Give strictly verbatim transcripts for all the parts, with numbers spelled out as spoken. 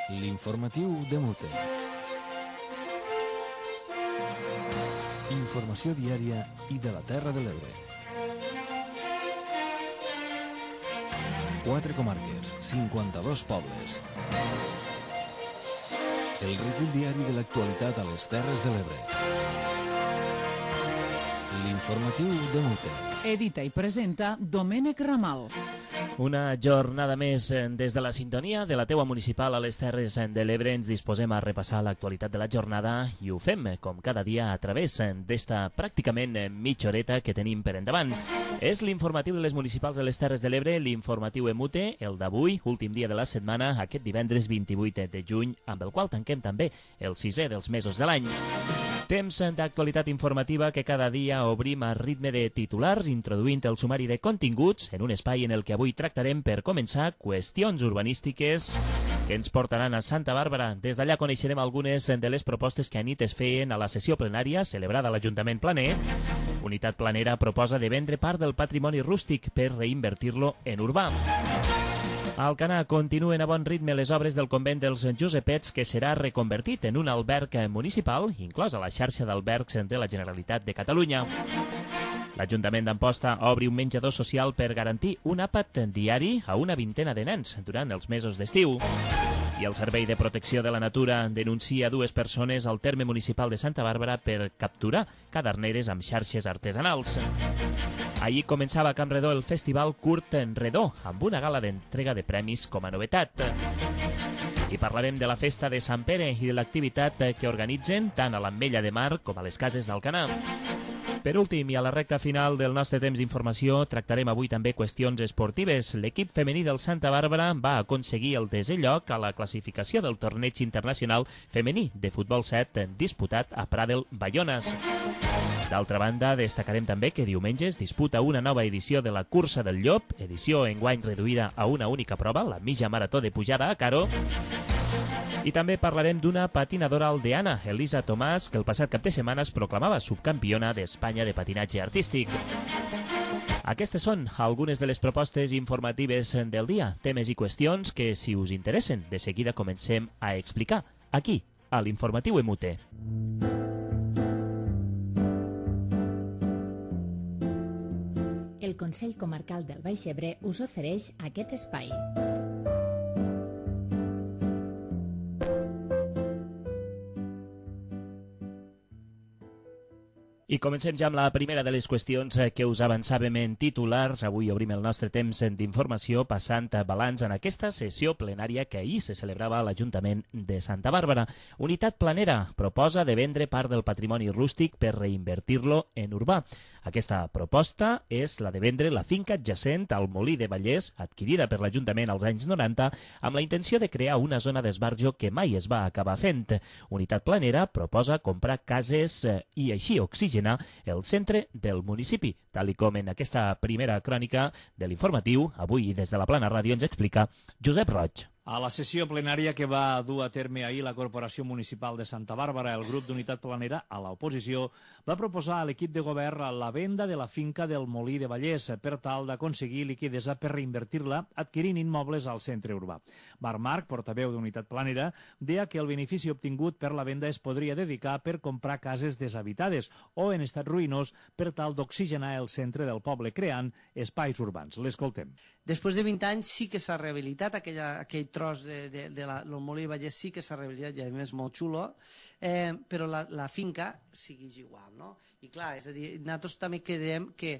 L'informatiu de Mute. Informació diària i de la Terra de l'Ebre. Quatre comarques, cinquanta-dos pobles. El recull diari de l'actualitat a les Terres de l'Ebre. L'informatiu de Mute. Edita i presenta Domènec Ramal. Una jornada més des de la sintonia de la teua municipal a les Terres de l'Ebre. Ens disposem a repassar l'actualitat de la jornada i ho fem, com cada dia, a través d'esta pràcticament mitja horeta que tenim per endavant. És l'informatiu de les municipals de les Terres de l'Ebre, l'informatiu Emute, el d'avui, últim dia de la setmana, aquest divendres vint-i-vuit de juny, amb el qual tanquem també el sisè dels mesos de l'any. Temps d'actualitat informativa que cada dia obrim a ritme de titulars, introduint el sumari de continguts en un espai en el que avui tractarem, per començar, qüestions urbanístiques que ens portaran a Santa Bàrbara. Des d'allà coneixerem algunes de les propostes que anit es feien a la sessió plenària celebrada a l'Ajuntament Planer. Unitat Planera proposa de vendre part del patrimoni rústic per reinvertir-lo en urbà. A Alcanar continuen a bon ritme les obres del convent dels Josepets, que serà reconvertit en un alberg municipal, inclòs a la xarxa d'albergs de la Generalitat de Catalunya. L'Ajuntament d'Amposta obri un menjador social per garantir un àpat diari a una vintena de nens durant els mesos d'estiu. I el Servei de Protecció de la Natura denuncia dues persones al terme municipal de Santa Bàrbara per capturar caderneres amb xarxes artesanals. Ahir començava a Camp Redó el festival Curt en Redó, amb una gala d'entrega de premis com a novetat. I parlarem de la festa de Sant Pere i de l'activitat que organitzen tant a l'Ametlla de Mar com a les cases d'Alcanar. Per últim, i a la recta final del nostre temps d'informació, tractarem avui també qüestions esportives. L'equip femení del Santa Bàrbara va aconseguir el desè lloc a la classificació del torneig internacional femení de futbol set disputat a Pradel, Baiones. D'altra banda, destacarem també que diumenge es disputa una nova edició de la Cursa del Llop, edició enguany reduïda a una única prova, la mitja marató de pujada a Caro. I també parlarem d'una patinadora aldeana, Elisa Tomàs, que el passat cap de setmana es proclamava subcampiona d'Espanya de patinatge artístic. Aquestes són algunes de les propostes informatives del dia, temes i qüestions que, si us interessen, de seguida comencem a explicar, aquí, a l'Informatiu Emute. El Consell Comarcal del Baix Ebre us ofereix aquest espai. I comencem ja amb la primera de les qüestions que us avançàvem en titulars. Avui obrim el nostre temps d'informació passant balanç en aquesta sessió plenària que ahir se celebrava a l'Ajuntament de Santa Bàrbara. Unitat Planera proposa de vendre part del patrimoni rústic per reinvertir-lo en urbà. Aquesta proposta és la de vendre la finca adjacent al Molí de Vallès, adquirida per l'Ajuntament als anys noranta, amb la intenció de crear una zona d'esbarjo que mai es va acabar fent. Unitat Planera proposa comprar cases i així oxigenar el centre del municipi, tal i com en aquesta primera crònica de l'informatiu, avui des de la Plana Ràdio ens explica Josep Roig. A la sessió plenària que va dur a terme ahir la Corporació Municipal de Santa Bàrbara, el grup d'Unitat Planera, a l'oposició, va proposar a l'equip de govern la venda de la finca del Molí de Vallès per tal d'aconseguir liquiditat per reinvertir-la adquirint immobles al centre urbà. Marc Marc, portaveu d'Unitat Planera, deia que el benefici obtingut per la venda es podria dedicar per comprar cases deshabitades o en estat ruïnós per tal d'oxigenar el centre del poble, creant espais urbans. L'escoltem. Després de vint anys sí que s'ha rehabilitat aquella, aquell tros de, de, de la, el Molí de Vallès, sí que s'ha rehabilitat, i a més molt xulo, eh, però la, la finca segueix igual, no? I clar, és a dir, nosaltres també creiem que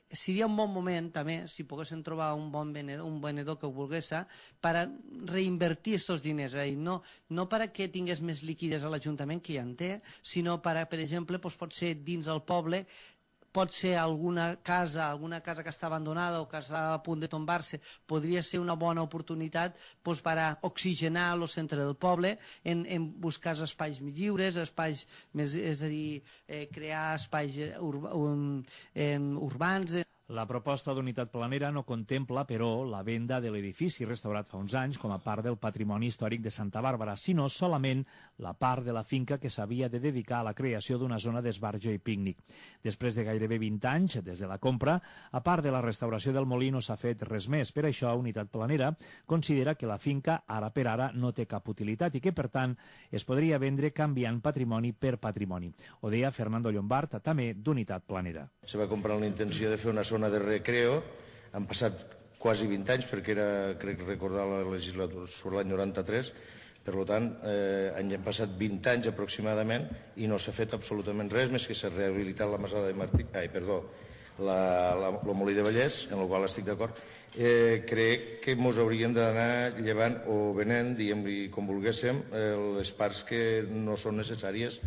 seria un bon moment també, si poguessin trobar un bon venedor, un venedor que ho volgués, per a reinvertir aquests diners, eh? no, no per a que tingués més líquides a l'Ajuntament, que ja en té, sinó per a, per exemple, doncs pot ser dins el poble, pot ser alguna casa, alguna casa que està abandonada o que està a punt de tombar-se, podria ser una bona oportunitat doncs, per a oxigenar el centre del poble, en, en buscar espais més lliures, espais més, és a dir, eh, crear espais urba, um, eh, urbans. La proposta d'unitat planera no contempla, però, la venda de l'edifici restaurat fa uns anys com a part del patrimoni històric de Santa Bàrbara, sinó solament la part de la finca que s'havia de dedicar a la creació d'una zona d'esbarjo i pícnic. Després de gairebé vint anys, des de la compra, a part de la restauració del molí no s'ha fet res més. Per això, Unitat Planera considera que la finca, ara per ara, no té cap utilitat i que, per tant, es podria vendre canviant patrimoni per patrimoni. Ho deia Fernando Llombart, també d'Unitat Planera. Se va comprar amb la intenció de fer una zona de recreo. Han passat quasi vint anys, perquè era, crec recordar la legislatura sobre l'any noranta-tres, per tant, eh, han passat vint anys aproximadament i no s'ha fet absolutament res, més que s'ha rehabilitat la Masada de Martí, ai, perdó, la, la, el Molí de Vallès, en el qual estic d'acord. Eh, crec que ens hauríem d'anar llevant o venent, diguem-li com volguéssim, eh, les parts que no són necessàries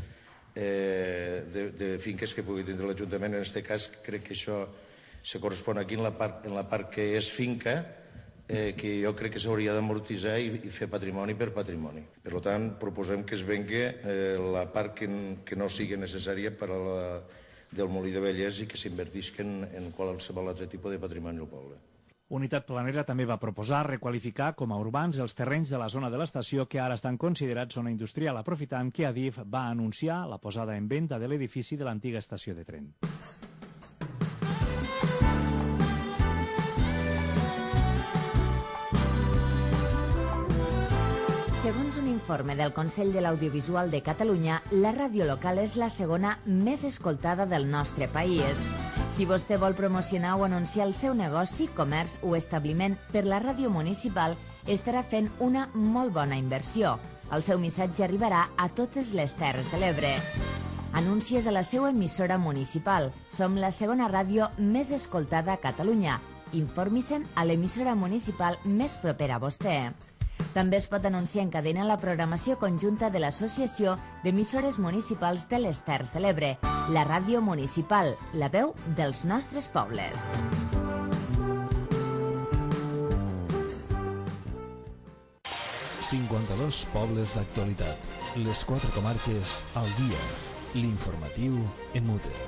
eh, de, de finques que pugui tindre l'Ajuntament. En aquest cas, crec que això se correspon aquí en la part, en la part que és finca, eh, que jo crec que s'hauria d'amortitzar i, i fer patrimoni per patrimoni. Per tant, proposem que es vengui eh, la part que, que no sigui necessària per a la, del Molí de Vallès i que s'invertisca en, en qualsevol altre tipus de patrimoni del poble. Unitat Planera també va proposar requalificar com a urbans els terrenys de la zona de l'estació que ara estan considerats zona industrial, aprofitant que Adif va anunciar la posada en venda de l'edifici de l'antiga estació de tren. Segons un informe del Consell de l'Audiovisual de Catalunya, la ràdio local és la segona més escoltada del nostre país. Si vostè vol promocionar o anunciar el seu negoci, comerç o establiment per la ràdio municipal, estarà fent una molt bona inversió. El seu missatge arribarà a totes les Terres de l'Ebre. Anuncies a la seva emissora municipal. Som la segona ràdio més escoltada a Catalunya. Informi-se'n a l'emissora municipal més propera a vostè. També es pot anunciar en cadena la programació conjunta de l'Associació d'Emissores Municipals de les Terres de l'Ebre, la ràdio municipal, la veu dels nostres pobles. cinquanta-dos pobles d'actualitat. Les quatre comarques al dia. L'informatiu en Muter.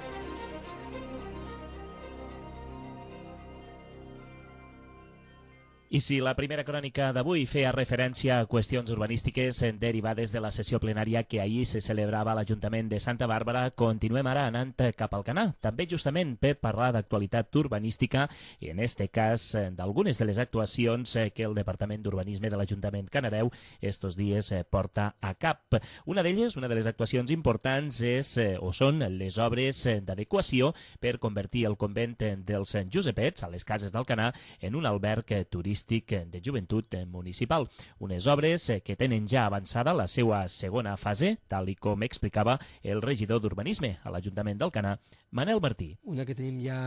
I si la primera crònica d'avui feia referència a qüestions urbanístiques derivades de la sessió plenària que ahir se celebrava a l'Ajuntament de Santa Bàrbara, continuem ara anant cap al Canà, també justament per parlar d'actualitat urbanística i en este cas d'algunes de les actuacions que el Departament d'Urbanisme de l'Ajuntament Canareu estos dies porta a cap. Una d'elles, una de les actuacions importants és o són les obres d'adequació per convertir el convent dels Josepets a les cases del Canà en un alberg turístic de joventut municipal. Unes obres que tenen ja avançada la seva segona fase, tal i com explicava el regidor d'Urbanisme a l'Ajuntament del Canà, Manel Martí. Una que tenim ja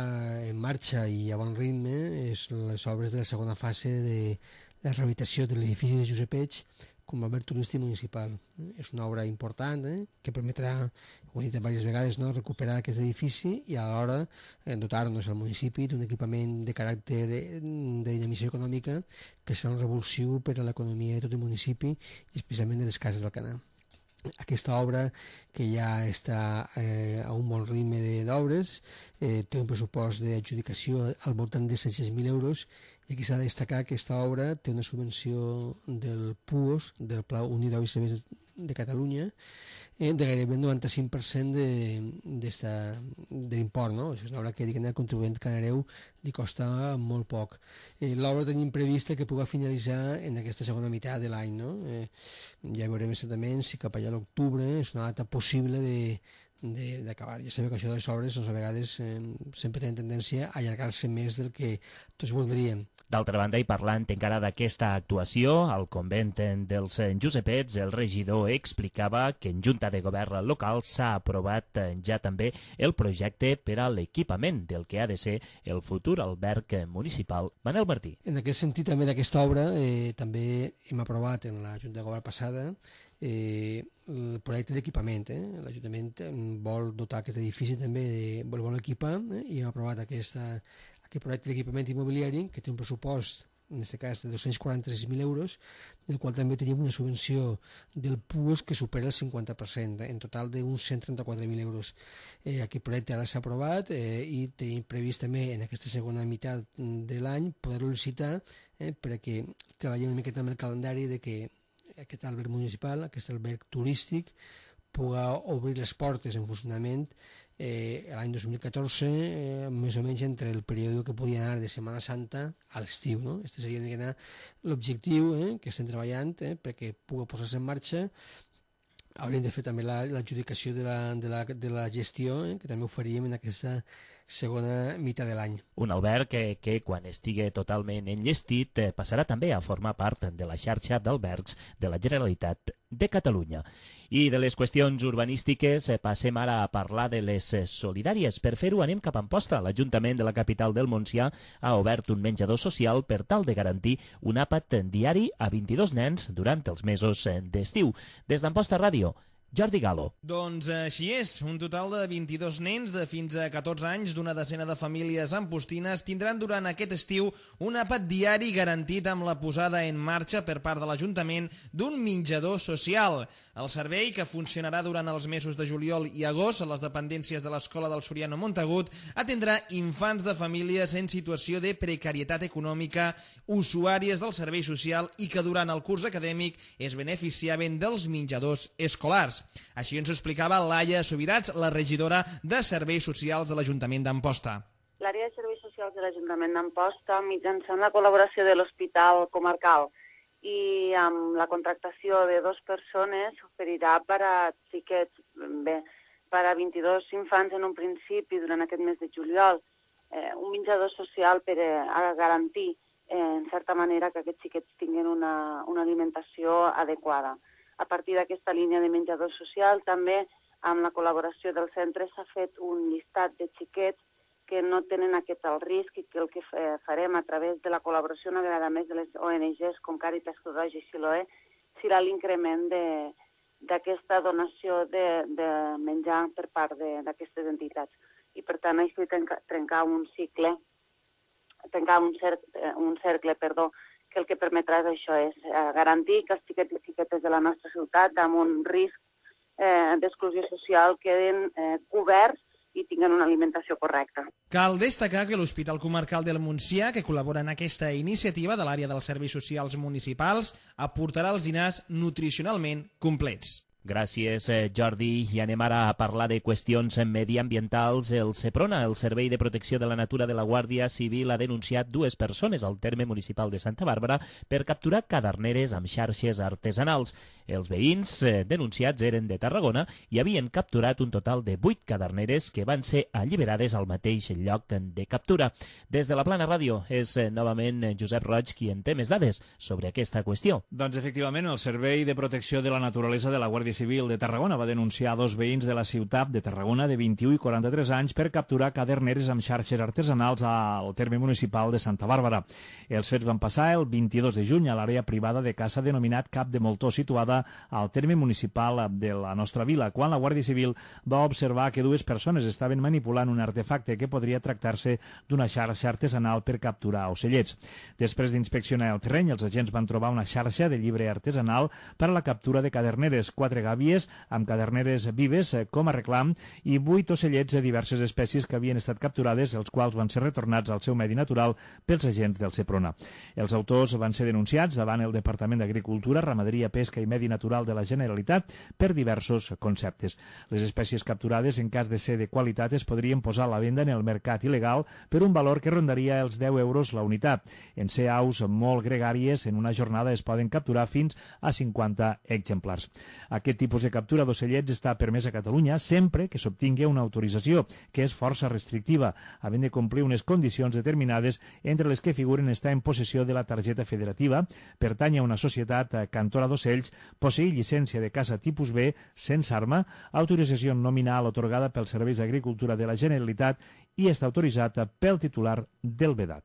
en marxa i a bon ritme és les obres de la segona fase de la rehabilitació de l'edifici de Josepets com a alberg turístic municipal. És una obra important eh, que permetrà, ho he dit diverses vegades, no, recuperar aquest edifici i alhora eh, dotar-nos al municipi d'un equipament de caràcter de dinamització econòmica que serà un revulsiu per a l'economia de tot el municipi i especialment de les cases del Canà. Aquesta obra, que ja està eh, a un bon ritme d'obres, eh, té un pressupost d'adjudicació al voltant de set-cents mil euros i aquí s'ha de destacar que aquesta obra té una subvenció del P U O S, del Pla Unit d'Obres Serveis de Catalunya, eh, de gairebé el noranta-cinc per cent de, de, de l'import. No? És una obra que diguem, al contribuent canareu li costa molt poc. Eh, L'obra tenim prevista que pugui finalitzar en aquesta segona meitat de l'any. No? Eh, ja veurem exactament si cap allà a l'octubre és una data possible de d'acabar. Ja sabeu que això de les obres doncs, a vegades eh, sempre tenen tendència a allargar-se més del que tots voldríem. D'altra banda, i parlant encara d'aquesta actuació, al convent dels Josepets, el regidor explicava que en Junta de Govern local s'ha aprovat ja també el projecte per a l'equipament del que ha de ser el futur alberg municipal. Manel Martí. En aquest sentit, també d'aquesta obra, eh, també hem aprovat en la Junta de Govern passada Eh, el projecte d'equipament. Eh? L'Ajuntament vol dotar aquest edifici també, de, vol, vol equipar eh? i hem aprovat aquesta, aquest projecte d'equipament immobiliari que té un pressupost en aquest cas de dos-cents quaranta-sis mil euros, del qual també tenim una subvenció del PUOS que supera el cinquanta per cent, en total d'uns cent trenta-quatre mil euros. Eh, aquest projecte ara s'ha aprovat eh, i tenim previst també en aquesta segona meitat de l'any poder-lo licitar eh, perquè treballem una miqueta amb el calendari de que aquest alberg municipal, aquest alberg turístic, pugui obrir les portes en funcionament eh, l'any dos mil catorze, eh, més o menys entre el període que podia anar de Setmana Santa a l'estiu. No? Este seria l'objectiu eh, que estem treballant eh, perquè pugui posar-se en marxa. Hauríem de fer també l'adjudicació de, la, de, la, de la gestió, eh, que també ho faríem en aquesta segona meitat de l'any. Un alberg que, que quan estigui totalment enllestit eh, passarà també a formar part de la xarxa d'albergs de la Generalitat de Catalunya. I de les qüestions urbanístiques eh, passem ara a parlar de les eh, solidàries. Per fer-ho anem cap a Amposta. L'Ajuntament de la capital del Montsià ha obert un menjador social per tal de garantir un àpat diari a vint-i-dos nens durant els mesos eh, d'estiu. Des d'Amposta Ràdio, Jordi Galo. Doncs així és. Un total de vint-i-dos nens de fins a catorze anys d'una decena de famílies ampostines tindran durant aquest estiu un àpat diari garantit amb la posada en marxa per part de l'Ajuntament d'un menjador social. El servei, que funcionarà durant els mesos de juliol i agost a les dependències de l'Escola del Soriano Montagut, atendrà infants de famílies en situació de precarietat econòmica, usuàries del servei social i que durant el curs acadèmic es beneficiaven dels menjadors escolars. Així ens ho explicava Laia Subirats, la regidora de Serveis Socials de l'Ajuntament d'Amposta. L'àrea de Serveis Socials de l'Ajuntament d'Amposta, mitjançant la col·laboració de l'Hospital Comarcal i amb la contractació de dues persones, oferirà per a xiquets, bé, per a vint-i-dos infants en un principi durant aquest mes de juliol, eh, un menjador social per a garantir, eh, en certa manera, que aquests xiquets tinguin una, una alimentació adequada. A partir d'aquesta línia de menjador social, també amb la col·laboració del centre s'ha fet un llistat de xiquets que no tenen aquest alt risc i que el que farem a través de la col·laboració una vegada més de les O N Ges com Càritas, Creu Roja i Siloé serà l'increment d'aquesta donació de, de menjar per part d'aquestes entitats. I per tant, així trencar un cicle, trencar un cercle, un cercle, perdó, que el que permetrà és això, és eh, garantir que els xiquets i xiquetes de la nostra ciutat amb un risc eh, d'exclusió social queden eh, coberts i tinguen una alimentació correcta. Cal destacar que l'Hospital Comarcal del Montsià, que col·labora en aquesta iniciativa de l'àrea dels serveis socials municipals, aportarà els dinars nutricionalment complets. Gràcies, Jordi. I anem ara a parlar de qüestions mediambientals. El SEPRONA, el Servei de Protecció de la Natura de la Guàrdia Civil, ha denunciat dues persones al terme municipal de Santa Bàrbara per capturar caderneres amb xarxes artesanals. Els veïns denunciats eren de Tarragona i havien capturat un total de vuit caderneres que van ser alliberades al mateix lloc de captura. Des de la Plana Ràdio és novament Josep Roig qui en té més dades sobre aquesta qüestió. Doncs efectivament, el Servei de Protecció de la Naturalesa de la Guàrdia Civil de Tarragona va denunciar a dos veïns de la ciutat de Tarragona de vint-i-u i quaranta-tres anys per capturar caderneres amb xarxes artesanals al terme municipal de Santa Bàrbara. Els fets van passar el vint-i-dos de juny a l'àrea privada de caça denominat Cap de Moltó, situada al terme municipal de la nostra vila, quan la Guàrdia Civil va observar que dues persones estaven manipulant un artefacte que podria tractar-se d'una xarxa artesanal per capturar ocellets. Després d'inspeccionar el terreny, els agents van trobar una xarxa de llibre artesanal per a la captura de caderneres, quatre gàbies amb caderneres vives com a reclam i vuit ocellets de diverses espècies que havien estat capturades, els quals van ser retornats al seu medi natural pels agents del SEPRONA. Els autors van ser denunciats davant el Departament d'Agricultura, Ramaderia, Pesca i Medi Natural de la Generalitat per diversos conceptes. Les espècies capturades, en cas de ser de qualitat, es podrien posar a la venda en el mercat il·legal per un valor que rondaria els deu euros la unitat. En ser aus molt gregàries, en una jornada es poden capturar fins a cinquanta exemplars. Aquest tipus de captura d'ocellets està permès a Catalunya sempre que s'obtingui una autorització, que és força restrictiva, havent de complir unes condicions determinades, entre les que figuren estar en possessió de la targeta federativa, pertany a una societat cantora d'ocells, posseir llicència de caça tipus B sense arma, autorització nominal otorgada pels Serveis d'Agricultura de la Generalitat i està autoritzat pel titular del vedat.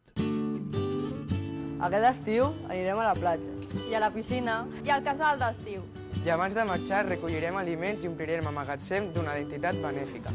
Aquest estiu anirem a la platja. I a la piscina. I al casal d'estiu. I abans de marxar recollirem aliments i omplirem el magatzem d'una entitat benèfica.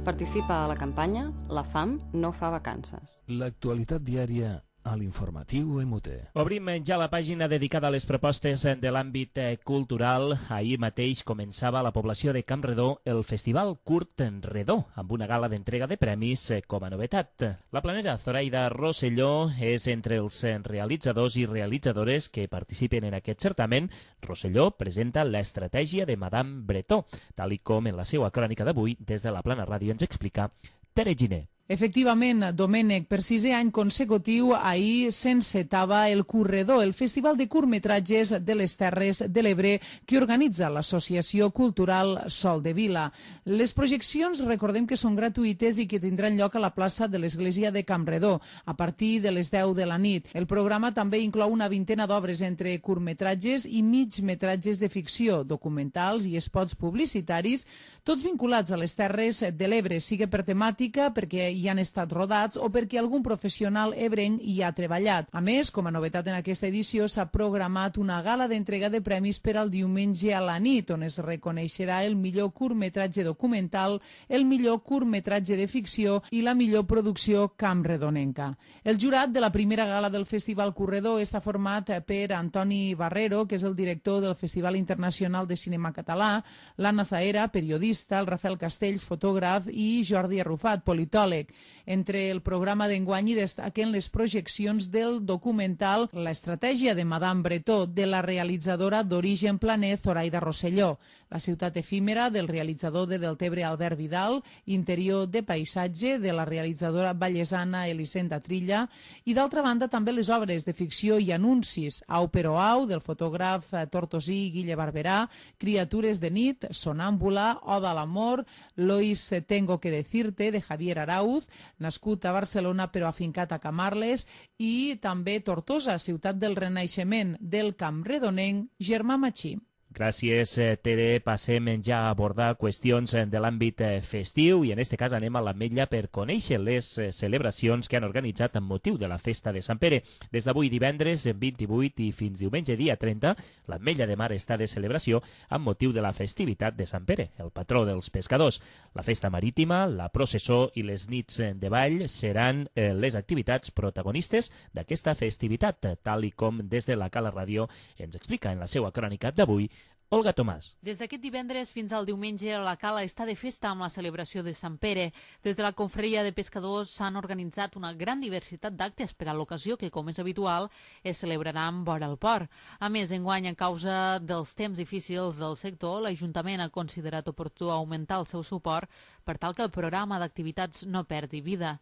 Participa a la campanya La fam no fa vacances. L'actualitat diària a l'informatiu E M U T E. Obrim ja la pàgina dedicada a les propostes de l'àmbit cultural. Ahir mateix començava a la població de Campredó el Festival Curt Redó, amb una gala d'entrega de premis com a novetat. La planera Zoraida Rosselló és entre els realitzadors i realitzadores que participen en aquest certamen. Rosselló presenta l'estratègia de Madame Bretó, tal i com en la seva crònica d'avui des de la Plana Ràdio ens explica Tere Giner. Efectivament, Domènec, per sisè any consecutiu, ahir s'encetava el Curredó, el Festival de Curtmetratges de les Terres de l'Ebre que organitza l'Associació Cultural Sol de Vila. Les projeccions, recordem que són gratuïtes i que tindran lloc a la plaça de l'Església de Campredó, a partir de les deu de la nit. El programa també inclou una vintena d'obres entre curtmetratges i migmetratges de ficció, documentals i spots publicitaris, tots vinculats a les Terres de l'Ebre, sigui per temàtica, perquè hi han estat rodats o perquè algun professional ebrenc hi ha treballat. A més, com a novetat en aquesta edició, s'ha programat una gala d'entrega de premis per al diumenge a la nit, on es reconeixerà el millor curtmetratge documental, el millor curtmetratge de ficció i la millor producció campredonenca. El jurat de la primera gala del Festival Curredó està format per Antoni Barrero, que és el director del Festival Internacional de Cinema Català, l'Anna Zaera, periodista, el Rafael Castells, fotògraf, i Jordi Arrufat, politòleg. Entre el programa d'enguany hi destaquen les projeccions del documental L'estratègia de Madame Bretó, de la realitzadora d'origen planer Zoraida Rosselló, La ciutat efímera del realitzador de Deltebre Albert Vidal, Interior de paisatge de la realitzadora vallesana Elisenda Trilla i d'altra banda també les obres de ficció i anuncis Au però au del fotògraf tortosí Guille Barberà, Criatures de nit, Sonàmbula, Oda a l'amor, Lois tengo que decirte de Javier Arauz, nascut a Barcelona però afincat a Camarles, i també Tortosa, ciutat del Renaixement del Campredonenc Germà Machí. Gràcies, Tere. Passem ja a abordar qüestions de l'àmbit festiu i en aquest cas anem a l'Ametlla per conèixer les celebracions que han organitzat amb motiu de la festa de Sant Pere. Des d'avui divendres vint-i-vuit i fins diumenge dia trenta, l'Ametlla de Mar està de celebració amb motiu de la festivitat de Sant Pere, el patró dels pescadors. La festa marítima, la processó i les nits de ball seran les activitats protagonistes d'aquesta festivitat, tal i com des de la Cala Ràdio ens explica en la seva crònica d'avui Olga Tomàs. Des d'aquest divendres fins al diumenge, la Cala està de festa amb la celebració de Sant Pere. Des de la confraria de pescadors s'han organitzat una gran diversitat d'actes per a l'ocasió que, com és habitual, es celebraran vora el port. A més, enguany, a causa dels temps difícils del sector, l'Ajuntament ha considerat oportú augmentar el seu suport per tal que el programa d'activitats no perdi vida.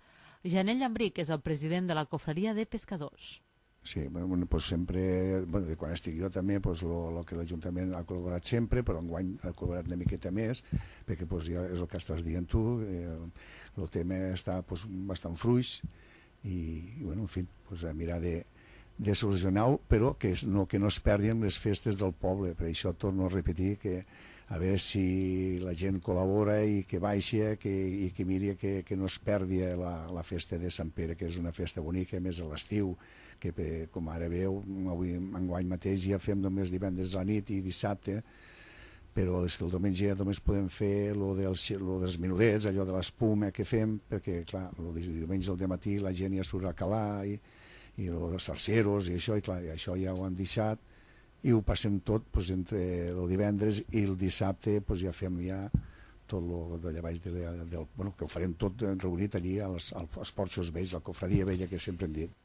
Janel Llambric és el president de la confraria de pescadors. Sí, bueno, pues sempre, bueno, de quan estic jo també, pues, lo, lo que l'Ajuntament ha col·laborat sempre, però enguany ha col·laborat una miqueta més, perquè pues, ja és el que estàs dient tu, eh, el tema està pues, bastant fluix i, i bueno, en fi, pues, a mirar de, de solucionar-ho, però que no, que no es perdin les festes del poble. Per això torno a repetir que a veure si la gent col·labora i que baixa que, i que miri que, que no es perdi la, la festa de Sant Pere, que és una festa bonica, més a l'estiu, que com ara veu, avui enguany mateix ja fem només divendres a la nit i dissabte, però és que el diumenge ja només podem fer lo dels, lo dels menudets, allò de l'espuma que fem, perquè clar, el diumenge al dematí la gent ja surt a calar i, i els sarceros i això, i clar, i això ja ho han deixat i ho passem tot pues, entre el divendres i el dissabte pues, ja fem ja tot el d'allà baix de, del, bueno, que ho farem tot reunit allí als, als porxos vells, la cofradia vella que sempre hem dit.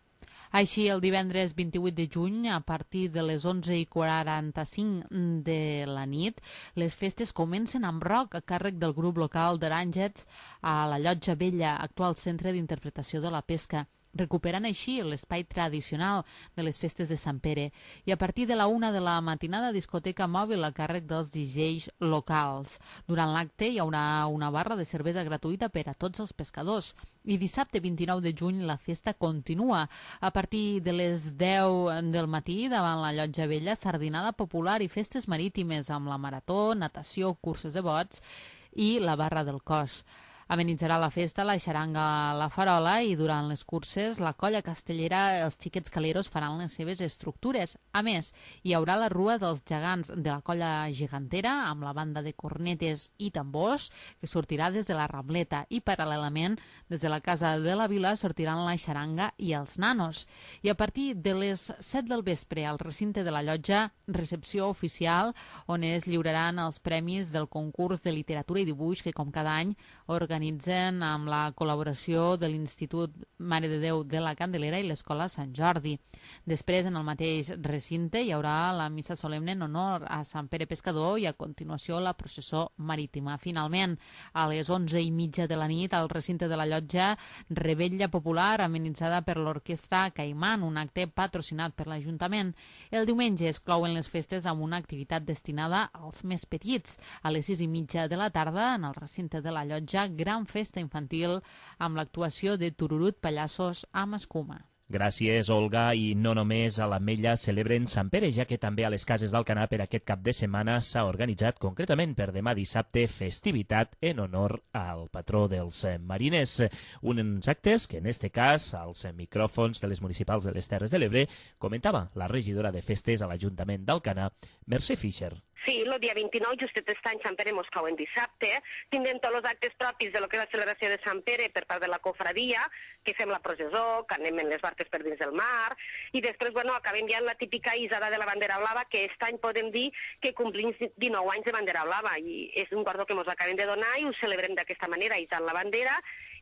Així, el divendres vint-i-vuit de juny, a partir de les onze i quaranta-cinc de la nit, les festes comencen amb rock a càrrec del grup local d'Aràngets a la Llotja Vella, actual centre d'interpretació de la pesca, recuperant així l'espai tradicional de les festes de Sant Pere. I a partir de la una de la matinada, discoteca mòbil a càrrec dels D Js locals. Durant l'acte hi haurà una barra de cervesa gratuïta per a tots els pescadors. I dissabte vint-i-nou de juny la festa continua. A partir de les deu del matí, davant la Llotja Vella, sardinada popular i festes marítimes amb la marató, natació, curses de bots i la barra del cos. Amenitzarà la festa la xaranga La Farola i durant les curses la colla castellera Els Xiquets Caleros faran les seves estructures. A més, hi haurà la rua dels gegants de la colla gegantera amb la banda de cornetes i tambors que sortirà des de la Rambleta i paral·lelament des de la Casa de la Vila sortiran la xaranga i els nanos. I a partir de les set del vespre al recinte de la llotja, recepció oficial on es lliuraran els premis del concurs de literatura i dibuix que com cada any organitzen amb la col·laboració de l'Institut Mare de Déu de la Candelera i l'Escola Sant Jordi. Després, en el mateix recinte, hi haurà la missa solemne en honor a Sant Pere Pescador i a continuació la processó marítima. Finalment, a les onze i mitja de la nit, al recinte de la llotja, Revetlla Popular, amenitzada per l'Orquestra Caimán, un acte patrocinat per l'Ajuntament. El diumenge es clouen les festes amb una activitat destinada als més petits. A les sis i mitja de la tarda, en el recinte de la llotja, gran festa infantil amb l'actuació de Tururut Pallassos amb escuma. Gràcies, Olga. I no només a l'Ametlla celebren Sant Pere, ja que també a les cases d'Alcanar per aquest cap de setmana s'ha organitzat concretament per demà dissabte festivitat en honor al patró dels mariners. Uns actes que en este cas, als micròfons de les municipals de les Terres de l'Ebre, comentava la regidora de festes a l'Ajuntament d'Alcanar, Mercè Fischer. Sí, el dia vint-i-nou, justet aquest any, Sant Pere mos cau en dissabte. Tindrem tots els actes propis de lo que és la celebració de Sant Pere per part de la cofradia, que fem la processó, que anem en les barques per dins del mar, i després, bueno, acabem ja en la típica isada de la bandera blava, que aquest any podem dir que complim dinou anys de bandera blava, i és un guardó que mos acabem de donar i ho celebrem d'aquesta manera, isant la bandera,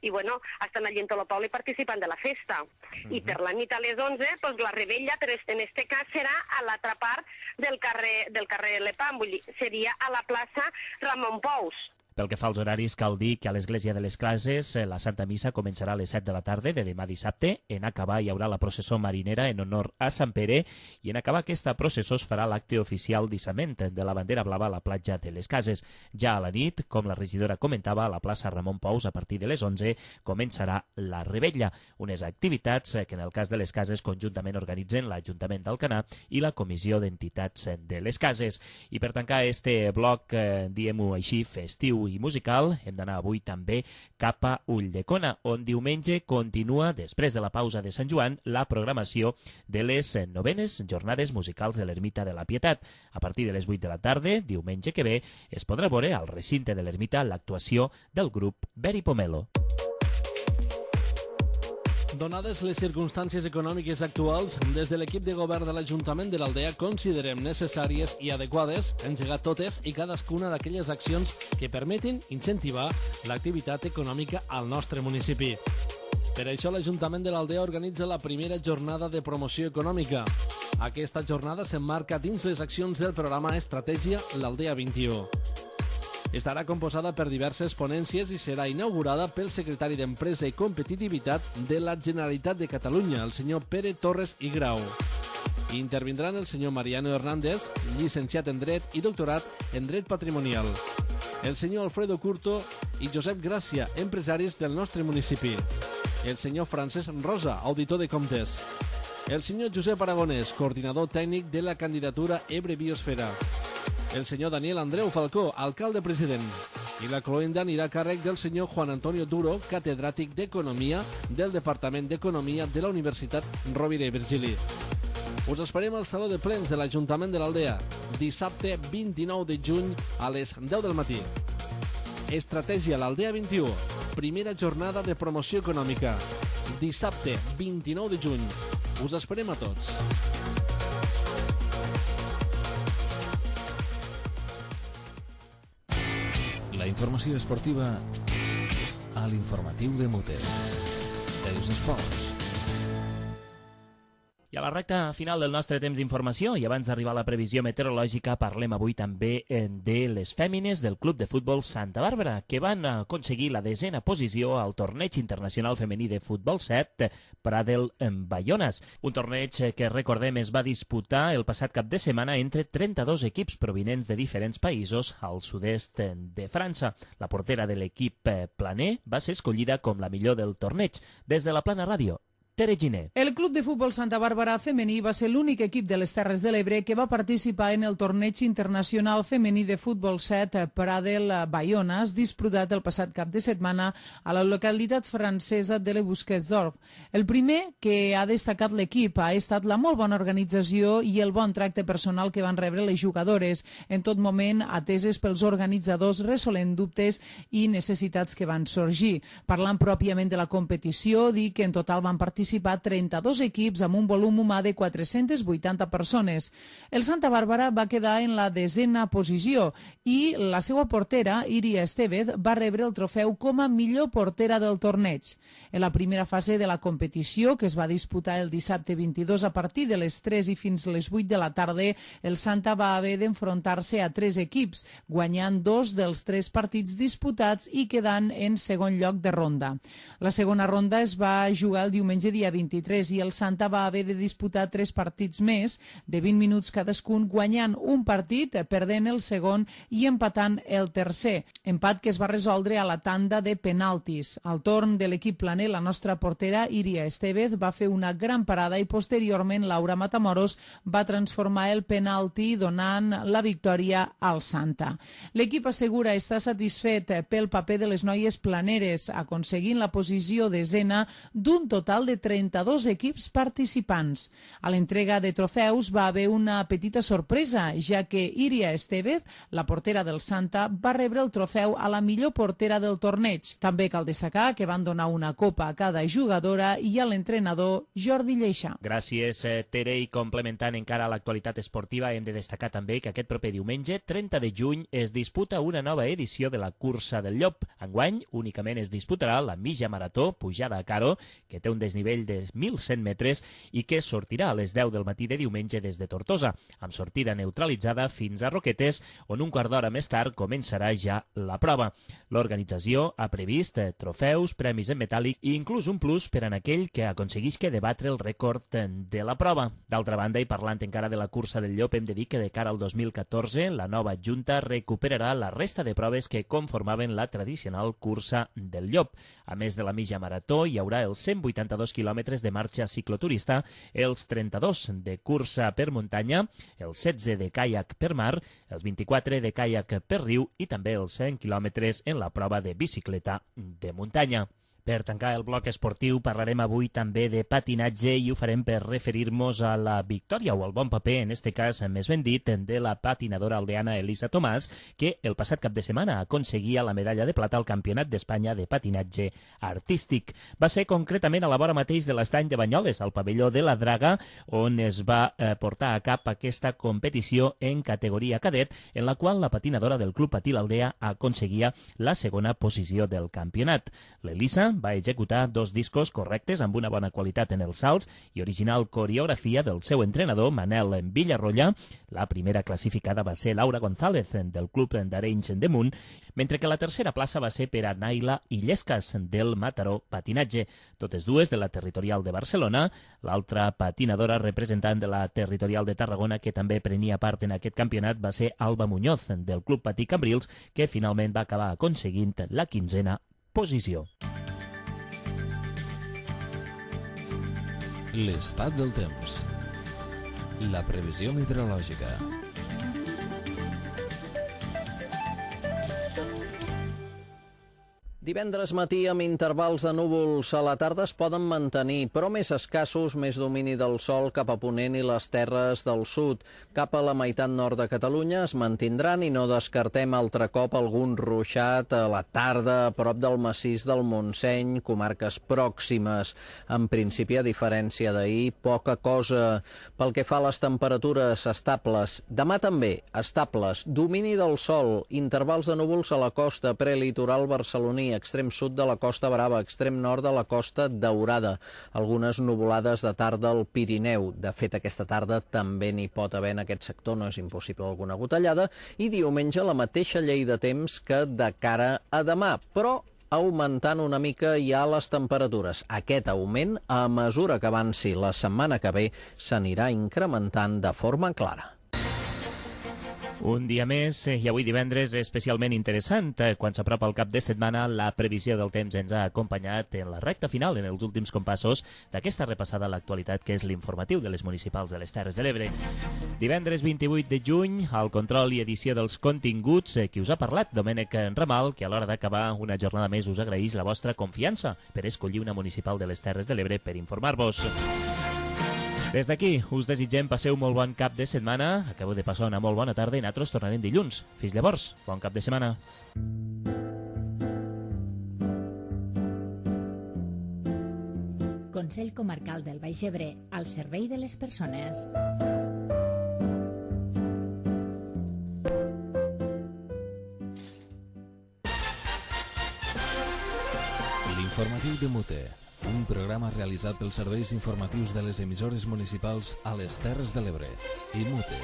i bueno, estan allí en tot el poble participant de la festa. Uh-huh. I per la nit a les onze, pues, la rebella, però en este cas serà a l'altra part del carrer, del carrer Lepam, vull dir, seria a la plaça Ramon Pous. Pel que fa als horaris, cal dir que a l'Església de les Cases la Santa Missa començarà a les set de la tarda de demà dissabte. En acabar hi haurà la processó marinera en honor a Sant Pere i en acabar aquesta processó es farà l'acte oficial d'issament de la bandera blava a la platja de les Cases. Ja a la nit, com la regidora comentava, a la plaça Ramon Pous a partir de les onze començarà la rebella, unes activitats que en el cas de les Cases conjuntament organitzen l'Ajuntament d'Alcanar i la Comissió d'Entitats de les Cases. I per tancar este bloc, eh, diem-ho així, festiu i musical, hem d'anar avui també cap a Ulldecona, on diumenge continua, després de la pausa de Sant Joan, la programació de les novenes jornades musicals de l'Ermita de la Pietat. A partir de les vuit de la tarda, diumenge que ve, es podrà veure al recinte de l'Ermita l'actuació del grup Beri Pomelo. Donades les circumstàncies econòmiques actuals, des de l'equip de govern de l'Ajuntament de l'Aldea considerem necessàries i adequades engegar totes i cadascuna d'aquelles accions que permetin incentivar l'activitat econòmica al nostre municipi. Per això l'Ajuntament de l'Aldea organitza la primera jornada de promoció econòmica. Aquesta jornada s'emmarca dins les accions del programa Estratègia l'Aldea vint-i-u. Estarà composada per diverses ponències i serà inaugurada pel secretari d'Empresa i Competitivitat de la Generalitat de Catalunya, el senyor Pere Torres i Grau. Intervindran el senyor Mariano Hernández, llicenciat en Dret i doctorat en Dret Patrimonial, el senyor Alfredo Curto i Josep Gràcia, empresaris del nostre municipi, el senyor Francesc Rosa, auditor de comptes, el senyor Josep Aragonès, coordinador tècnic de la candidatura Ebre Biosfera, el senyor Daniel Andreu Falcó, alcalde president, i la cloenda anirà a càrrec del senyor Juan Antonio Duro, catedràtic d'Economia del Departament d'Economia de la Universitat Rovira i Virgili. Us esperem al Saló de Plens de l'Ajuntament de l'Aldea, dissabte vint-i-nou de juny a les deu del matí. Estratègia l'Aldea vint-i-u, primera jornada de promoció econòmica, dissabte vint-i-nou de juny. Us esperem a tots. La informació esportiva a l'informatiu de Mute. Els esports. I a la recta final del nostre temps d'informació, i abans d'arribar a la previsió meteorològica, parlem avui també de les fèmines del Club de Futbol Santa Bàrbara, que van aconseguir la desena posició al Torneig Internacional Femení de Futbol set Pradel en Bayones. Un torneig que, recordem, es va disputar el passat cap de setmana entre trenta-dos equips provinents de diferents països al sud-est de França. La portera de l'equip planer va ser escollida com la millor del torneig. Des de la Plana Ràdio, Tere Giner. El Club de Futbol Santa Bàrbara femení va ser l'únic equip de les Terres de l'Ebre que va participar en el torneig internacional femení de futbol set Pradel Bayonas, disputat el passat cap de setmana a la localitat francesa de Le Busquets-d'Orb. El primer que ha destacat l'equip ha estat la molt bona organització i el bon tracte personal que van rebre les jugadores, en tot moment ateses pels organitzadors resolent dubtes i necessitats que van sorgir. Parlant pròpiament de la competició, dir que en total van participar trenta-dos equips amb un volum humà de quatre-centes vuitanta persones. El Santa Bàrbara va quedar en la desena posició i la seva portera, Iria Estevez, va rebre el trofeu com a millor portera del torneig. En la primera fase de la competició, que es va disputar el dissabte vint-i-dos a partir de les tres i fins les vuit de la tarda, el Santa va haver d'enfrontar-se a tres equips, guanyant dos dels tres partits disputats i quedant en segon lloc de ronda. La segona ronda es va jugar el diumenge dia vint-i-tres i el Santa va haver de disputar tres partits més de vint minuts cadascun, guanyant un partit, perdent el segon i empatant el tercer. Empat que es va resoldre a la tanda de penaltis. Al torn de l'equip planer, la nostra portera, Iria Estevez, va fer una gran parada i posteriorment Laura Matamoros va transformar el penalti donant la victòria al Santa. L'equip assegura estar satisfet pel paper de les noies planeres, aconseguint la posició desena d'un total de trenta-dos equips participants. A l'entrega de trofeus va haver una petita sorpresa, ja que Iria Estevez, la portera del Santa, va rebre el trofeu a la millor portera del torneig. També cal destacar que van donar una copa a cada jugadora i a l'entrenador Jordi Lleixa. Gràcies, Tere. I complementant encara l'actualitat esportiva, hem de destacar també que aquest proper diumenge, trenta de juny, es disputa una nova edició de la Cursa del Llop. Enguany, únicament es disputarà la mitja marató pujada a Caro, que té un desnivell de mil cent metres i que sortirà a les deu del matí de diumenge des de Tortosa, amb sortida neutralitzada fins a Roquetes, on un quart d'hora més tard començarà ja la prova. L'organització ha previst trofeus, premis en metàl·lic i inclús un plus per a aquell que aconseguisca debatre el rècord de la prova. D'altra banda, i parlant encara de la Cursa del Llop, hem de dir que de cara al dos mil catorze la nova Junta recuperarà la resta de proves que conformaven la tradicional Cursa del Llop. A més de la mitja marató, hi haurà els cent vuitanta-dos quilòmetres de marxa cicloturista, els trenta-dos de cursa per muntanya, els setze de caiac per mar, els vint-i-quatre de caiac per riu i també els cent quilòmetres en la prova de bicicleta de muntanya. Per tancar el bloc esportiu parlarem avui també de patinatge i ho farem per referir-nos a la victòria o al bon paper, en este cas més ben dit, de la patinadora aldeana Elisa Tomàs, que el passat cap de setmana aconseguia la medalla de plata al Campionat d'Espanya de patinatge artístic. Va ser concretament a la vora mateix de l'estany de Banyoles, al pavelló de la Draga, on es va eh, portar a cap aquesta competició en categoria cadet, en la qual la patinadora del Club Patí l'Aldea aconseguia la segona posició del campionat. L'Elisa va executar dos discos correctes amb una bona qualitat en els salts i original coreografia del seu entrenador Manel Villarroya. La primera classificada va ser Laura González del Club d'Arenys de Munt, mentre que la tercera plaça va ser per a Naila Illescas del Mataró Patinatge, totes dues de la Territorial de Barcelona. L'altra patinadora representant de la Territorial de Tarragona que també prenia part en aquest campionat va ser Alba Muñoz del Club Patí Cambrils, que finalment va acabar aconseguint la quinzena posició. L'estat del temps. La previsió meteorològica. Divendres matí, amb intervals de núvols a la tarda, es poden mantenir, però més escassos, més domini del sol cap a Ponent i les terres del sud. Cap a la meitat nord de Catalunya es mantindran i no descartem altre cop algun ruixat a la tarda a prop del massís del Montseny, comarques pròximes. En principi, a diferència d'ahir, poca cosa. Pel que fa a les temperatures estables, demà també estables, domini del sol, intervals de núvols a la costa prelitoral barceloní, extrem sud de la Costa Brava, extrem nord de la Costa Daurada. Algunes nuvolades de tarda al Pirineu. De fet, aquesta tarda també n'hi pot haver en aquest sector, no és impossible alguna gotellada. I diumenge la mateixa llei de temps que de cara a demà, però augmentant una mica ja les temperatures. Aquest augment, a mesura que avanci la setmana que ve, s'anirà incrementant de forma clara. Un dia més, i avui divendres especialment interessant. Quan s'apropa el cap de setmana, la previsió del temps ens ha acompanyat en la recta final, en els últims compassos d'aquesta repassada a l'actualitat, que és l'informatiu de les municipals de les Terres de l'Ebre. Divendres vint-i-vuit de juny, al control i edició dels continguts, qui us ha parlat, Domènec Ramal, que a l'hora d'acabar una jornada més us agraeix la vostra confiança per escollir una municipal de les Terres de l'Ebre per informar-vos. Des d'aquí, us desitgem passeu molt bon cap de setmana, acabeu de passar una molt bona tarda i nosaltres tornarem dilluns. Fins llavors, bon cap de setmana. Consell Comarcal del Baix Ebre, al servei de les persones. L'informatiu de Mute, un programa realitzat pels serveis informatius de les emissores municipals a les Terres de l'Ebre i Mute.